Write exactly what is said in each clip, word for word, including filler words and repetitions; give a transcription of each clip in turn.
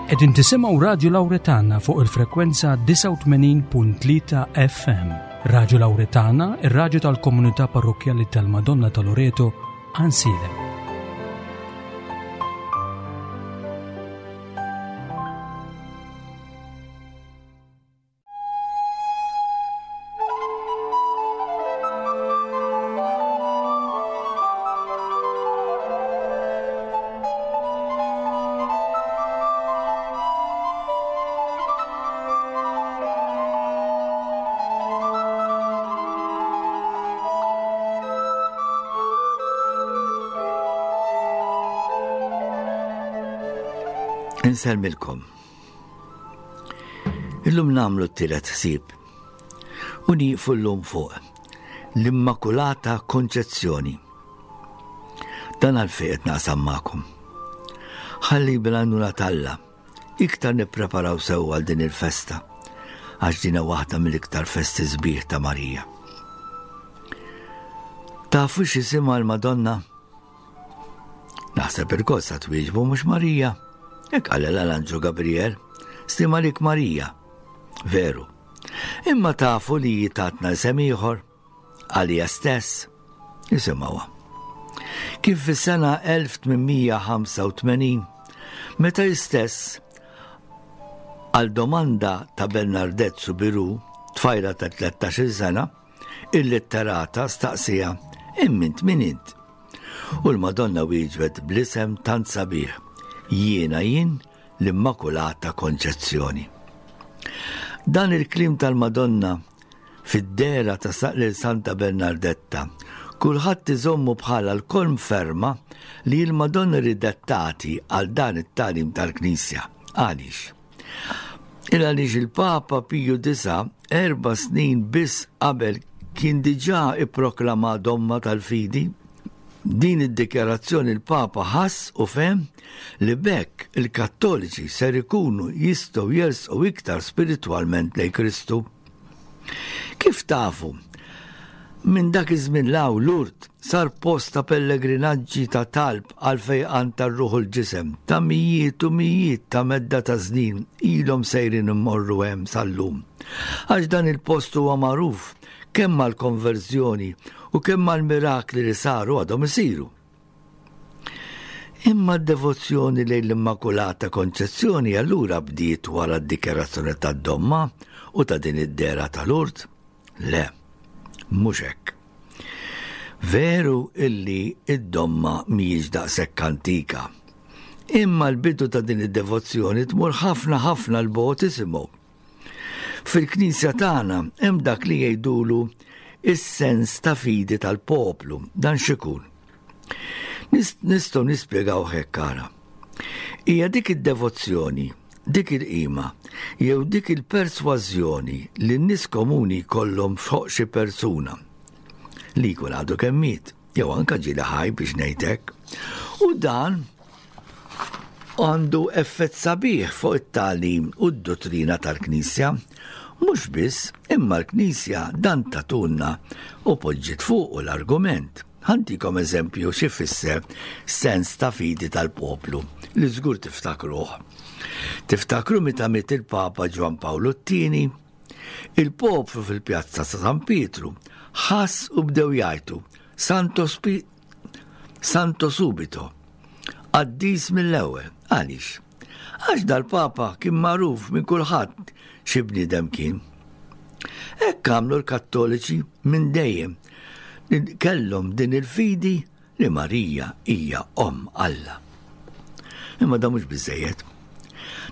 Qegħdin tisimgħu Radju Lawretana fuq il-frekwenza disgħa u tmenin punt tlieta F M. Radju Lawretana, ir-radju tal-Komunità Parrokkjali tal-Madonna ta' Loreto, Għajnsielem. Insellmilkom. Illum nagħmlu t-tielet ħsieb u nieqfu llum fuq l-Immakulata Konċezzjoni. Dan għalfejn qed naqsam magħkom. Ħalli bil-għajnuna t'Alla iktar nippreparaw sew għal din il-festa, għax dina waħda mill-iktar festi sbieħ ta' Marija. Tafu x'isimha l-Madonna? Naħseb ilkoll sa twieġbu mhux Marija. Hekk qalilha l-Anġlu Gabriel, "Sliem għalik Marija." Veru. Imma tafu li tatna isem ieħor għalija stess. Isimgħuha. Kif fis-sena elf tmien mija ħamsa u tmenin, meta stess għal domanda ta' Bernadette Soubirous, tfajla ta' tlettax-il sena, il-litterata staqsieha, "Imma int min int?" U l-Madonna wieġbet bl-isem tant sabiħ, "Jiena jien l-Immakulata Konċezzjoni." Dan il-kliem tal-Madonna fid-dehra ta' lil Santa Bernardetta, kulħadd iżommu bħala l-konferma li l-Madonna ridet tagħti għal dan it-tagħlim tal-Knisja. Għaliex? Il għaliex il-Papa Piju Disa erba' snin biss qabel kien diġà ipproklama domma tal-fidi. Din id-dikjarazzjoni l-Papa ħass u fehem li b'hekk il-Kattoliċi ser ikunu jistgħu jersqu iktar spiritwalment lejn Kristu. Kif tafu, minn dak iż-żmien 'l hawn Lourdes sar post ta' pellegrinaġġi ta' talb għal fejqan tar-ruħ u l-ġisem ta' mijiet u mijiet ta' medda ta' snin ilhom sejrin immorru hemm sal-lum. Għax dan il-post huwa magħruf kemm mal-konverżjoni u kemm mal-mirakli li saru għadhom isiru. Imma d-devozzjoni lejn l-Immakulata Konċezzjoni allura bdiet wara d-dikjarazzjoni tad-domma u ta' din id-dehra ta' Lourdes? Le, mhux hekk. Veru illi id-domma mhijiex daqshekk antika. Imma l-bidu ta' din id-devozzjoni tmur ħafna ħafna 'l bogħod, isimgħu. Fil-Knisja tagħna hemm dak li jgħidulu is-sens ta' fidi tal-poplu, dan x'ikun? Nistgħu nispjegaw hekk, ara. Hija dik id-devozzjoni, dik il-qima, jew dik il-persważjoni li n-nies komuni kollhom fuq xi persuna li jkun għadu kemm miet, jew anka ġieli ħaj biex ngħidlek. U dan għandu effett sabiħ fuq it-tagħlim u d-dottrina tal-Knisja. Mhux biss, imma l-Knisja dan tatulna u poġġiet fuq l-argument. Ħa ntikom eżempju xi fisser sens ta' fidi tal-poplu li żgur tiftakruh. Tiftakru meta miet il-Papa Ġwan Pawlu t-tieni, il-poplu fil-pjazza ta' San Pietru ħass u bdew jgħajtu "Santo, spi Santo subito", qaddis mill-ewwel. Għaliex? Għax dal-Papa kien magħruf minn kulħadd xi bniedem kien. Hekk għamlu l-Kattoliċi minn dejjem li kellhom din il-fidi li Marija hija omm Alla. Imma da mhux biżejjed.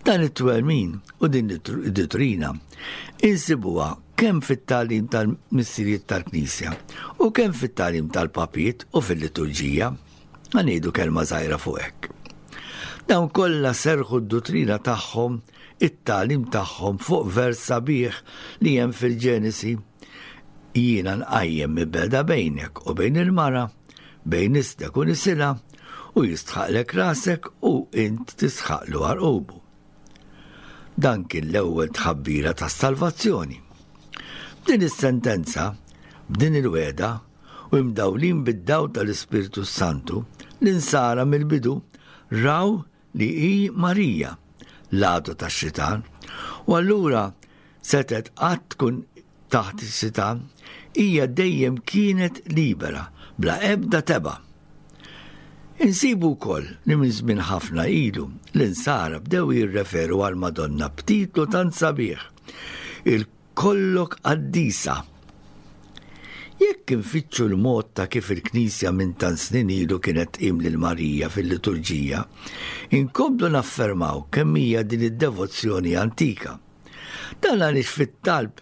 Dan it-twemmin u din id-dottrina insibuha kemm fit-tagħlim tal-missirijiet tal-Knisja u kemm fit-tagħlim tal-papiet u fil-liturġija. Ħa ngħidu kelma żgħira fuq hekk. Dawn kollha serħu d-dottrina tagħhom, it-tagħlim tagħhom fuq vers sabiħ li hemm fil-Ġenesi. "Jiena nqajjem mibegħda bejnek u bejn il-mara, bejn nislek u nisilha, u jisħtaqlek rasek u int tisħtaqlu għarqubu." Dan kien l-ewwel tħabbira tas-salvazzjoni. B'din is-sentenza, b'din il-wegħda, u imdawlin bid-dawl tal-Ispirtu Santu, l-insara mill-bidu raw li hi Marija, l-għadu tax-xitan. U allura setgħet qatt tkun taħt is-sitan, hija dejjem kienet libera, bla ebda tebgħa. Insibu wkoll li minn żmien ħafna ilu l-insara bdew jirreferu għal Madonna b'titlu tant sabiħ, il-kollok qaddisa. Jekk infittxu l-mod ta' kif il-Knisja minn tant snin ilu kienet tqim lil Marija fil-liturġija, inkomplu naffermaw kemm hija din id-devozzjoni antika. Dan għaliex fit-talb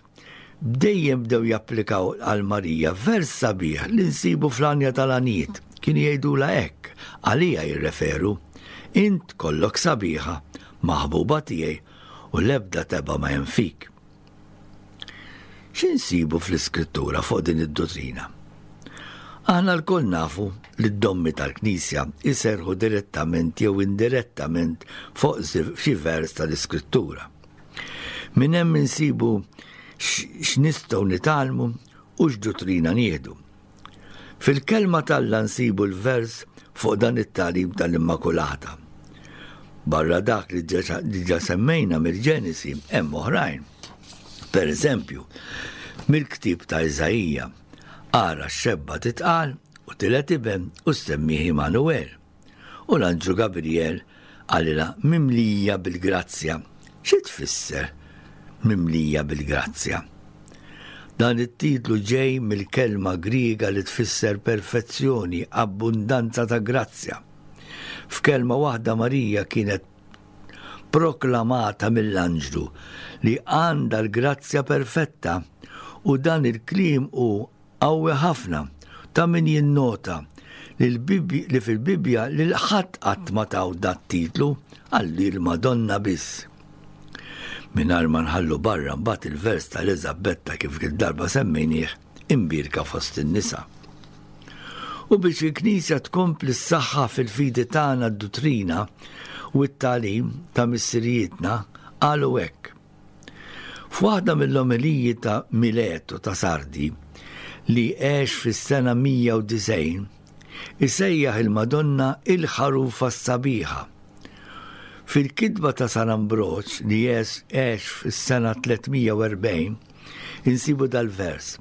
dejjem bdew japplikaw għal Marija vers sabiħ li nsibu fl-Għanja tal-Għanjiet. Kienu jgħidulha hekk, għalija jirreferu, int kollok sabiħa, maħbuba tiegħi, u l-ebda tebgħa ma hemm fik. X'insibu fl-Iskrittura fuq din id-dottrina? Aħna lkoll nafu li d-dommi tal-Knisja jserħu direttament jew indirettament fuq xi vers tal-Iskrittura. Minn hemm insibu x'nistgħu nitgħallmu u x'dottrina nieħdu. Fil-kelma t'Alla nsibu l-vers fuq dan it-tagħlim tal-Immakulata. Barra dak li diġà semmejna mill-Ġenesi hemm oħrajn. Per eżempju, mill-ktieb ta' Iżaija, ara x-xebba titqal u tiled iben u ssemmih Immanuel. U l-anġlu Gabriel qalilha mimlija bil-grazzja. Xi tfisser mimlija bil-grazzja? Dan it-titlu ġej mill-kelma Griega li tfisser perfezzjoni, abbundanza ta' grazzja. F'kelma waħda Marija kienet proklamata mill-anġlu li għandha l-grazzja perfetta, u dan il-kliem hu qawwi ħafna ta' min jinnota li l-Bibbi-, li fil-Bibbja lil ħadd qatt ma taw dat titlu għalli l-Madonna biss. Mingħajr ma nħallu barra mbagħad il-vers tal-Eżabetta kif il-darba semmejnieh imbierka fost in-nisa. U biex il-Knisja tkompli s-saħħa fil-fidi tagħna d-duttrina u t-tagħlim ta' missirijietna qalu hekk. F'waħda mill-omeliji ta' Mileto ta' Sardi li għex fis-sena mija u disgħin, isejjaħ il-Madonna il-ħarufa s-sabiħa. Fil-kitba ta' San Ambroġ li għex fis-sena tlietmija u erbgħin, insibu dal-vers.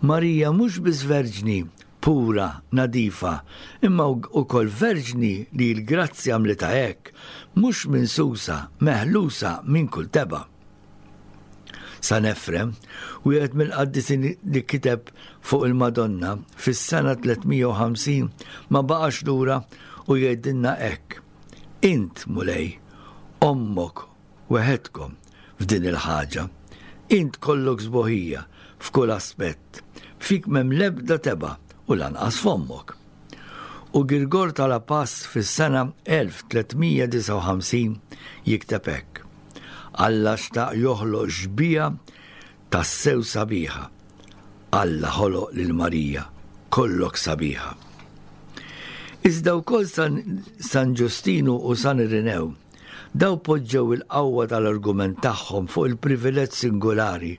Marija mhux biss verġni pura, nadifa, imma ukoll verġni li l-grazzja għamlitha hekk, mhux minsusa, meħlusa minn kull tebgħa. San Efrem, wieħed mill-qaddisin li kiteb fuq il-Madonna fis-sena tlietmija u ħamsin ma baqax lura u jgħidilna hekk. Int, Mulej, ommok weħedkom f'din il-ħaġa. Int kollok sbuħija f'kull aspett. Fik m'hemm l-ebda tebgħa u lanqas f'ommok. U Girgor ta' La Paz fis-sena elf tlietmija disgħa u ħamsin jikteb hekk. Alla xtaq joħloq xbieha tassew sabiħa. Alla ħoloq lil Marija, kollok sabiħa. Iżda wkoll San, San Ġustinu u San Irinew daw poġġew il-qawwa tal-argument tagħhom fuq il-privileġġ singolari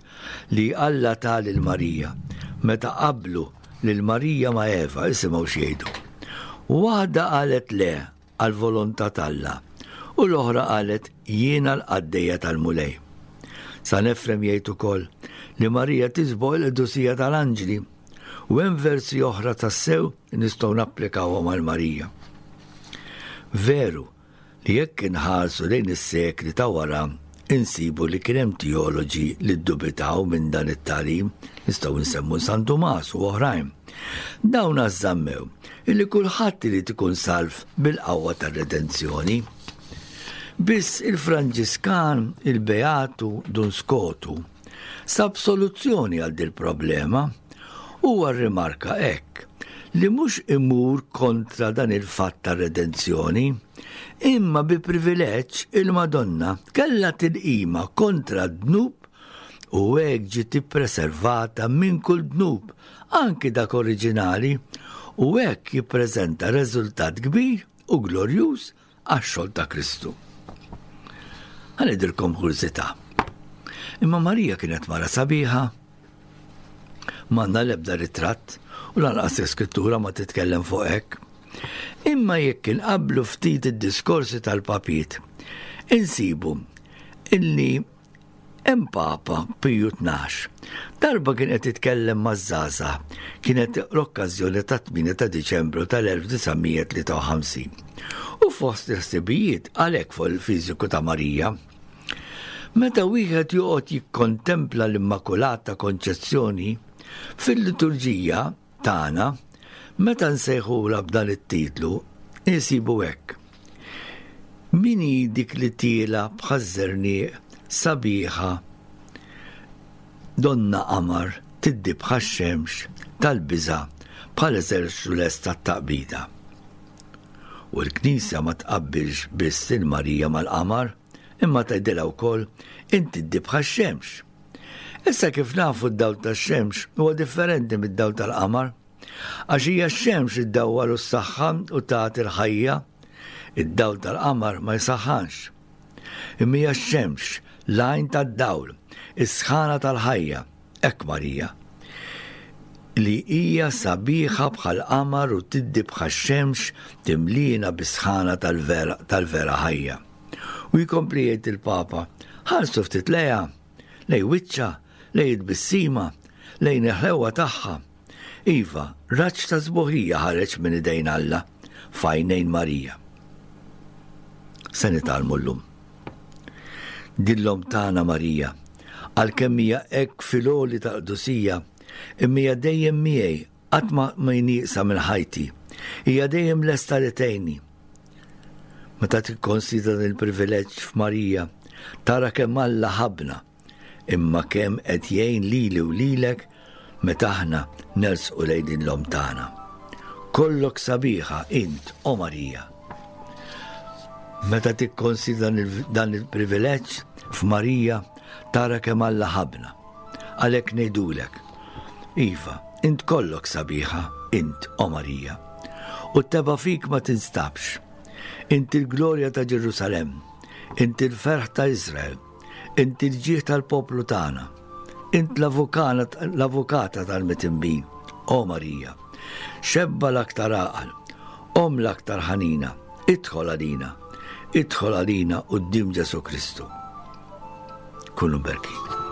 li Alla ta lil Marija meta qablu lil Marija ma' Eva, isimgħu x'jgħidu. Waħda qalet le għall-volontà t'Alla u l-oħra qalet jiena l-qaddejja tal-Mulej. San Efrem jgħid ukoll li Marija tisboq il-qdusija tal-anġli u hemm versi oħra tassew nistgħu napplikawhom għal Marija. Veru li jekk inħarsu lejn is-sekli ta' wara insibu li kien hemm teoloġi li ddubitaw minn dan it-tagħlim, nistgħu nsemmu San Tumas u oħrajn. Dawn ażżammew illi kulħadd irid ikun salv bil-qawwa tar-redenzjoni. Biss il-Franġiskan, il-Beatu Dun Skotu, sab soluzzjoni għal dil problema. Huwa rrimarka hekk li mhux imur kontra dan il-fatt tar-redenzjoni, imma bi privileġġ il-Madonna kellha tilqima kontra d-dnub u hekk ġiet ippreservata minn kull dnub, anki dak oriġinali, u hekk jippreżenta riżultat kbir u glorjuż għax-xogħol ta' Kristu. Ħa ngħidilkom kurżità. Imma Marija kienet mara sabiħa, m'għandna l-ebda ritratt u lanqas l-iskrittura ma titkellem fuq hekk. Imma jekk inqablu ftit id-diskorsi tal-papiet, Insibu illi hemm Papa Piju Tnax. Darba kien qed jitkellem maż-żgħażagħ, kienet l-okkażjoni ta' tmienja ta' Diċembru tal-elf disa' mija tlieta u ħamsin. U fost il-ħsibijiet għalhekk fuq il-fiżiku ta' Marija. Meta wieħed joqgħod jikkontempla l-Immakulata Konċezzjoni fil-liturġija tagħna, meta nsejħulha b'dan it-titlu, insibu hekk. Min hi dik li tiela bħaż-żerniq sabiħa donna qamar tiddi bħax-xemx tal-biża' bħal eżerċtu lest tat-taqbida. U l-Knisja ma tqabbilx biss il Marija mal-qamar, imma tgħidilha wkoll inti tiddi bħax-xemx. Issa kif nafu d-dawl tax-xemx huwa differenti mid-dawl tal-qamar, għax hija x-xemx iddawwal u s-saħħa u tagħti l-ħajja, id-dawl tal-qamar ma jsaħħanx. Imma hija x-xemx, l-għajn tad-dawl, is-sħana tal-ħajja, hekk Marija, li hija sabiħa bħal qamar u tiddi bħax-xemx timlina bis-sħana tal-vera, tal-vera ħajja. U jkompli jgħid il-Papa, ħarsu ftit lejha, lej wiċċa, lej it-tbissima, lejn il-ħlewa tagħha. Iva, raġġ ta' sbuħija ħareġ minn idejn Alla f'għajnejn Marija. Se nitgħallmu llum. Din l-omm tagħna Marija, għalkemm hija hekk fil-għoli tal-qdusija, imma hija dejjem miegħi, qatt ma ma nieqsa minn ħajti. Hija dejjem lesta li tgħinni. Meta tikkonsidra dan il-privileġġ f'Marija, tara kemm Alla ħabna, imma kemm qed jgħin lili u lilek meta aħna nersqu lejn din l-omm tagħna. Kollok sabiħa int, o Marija. Meta tikkonsidra dan il-privileġġ f'Marija, tara kemm Alla ħabna. Għalhekk ngħidulek, iva, int kollok sabiħa, int, o Marija. U t-teba fik ma tinstabx. Int il-glorja ta' Ġerusalemm, int il-ferħ ta' Izrael, int il-ġieħ tal-poplu tagħna, int l-avukata tal-mitinbin, o Marija. Xebba l-aktar għaqal, om l-aktar ħanina, idħol għalina, idħol għalina quddiem Ġesù Kristu. Kunu berkin.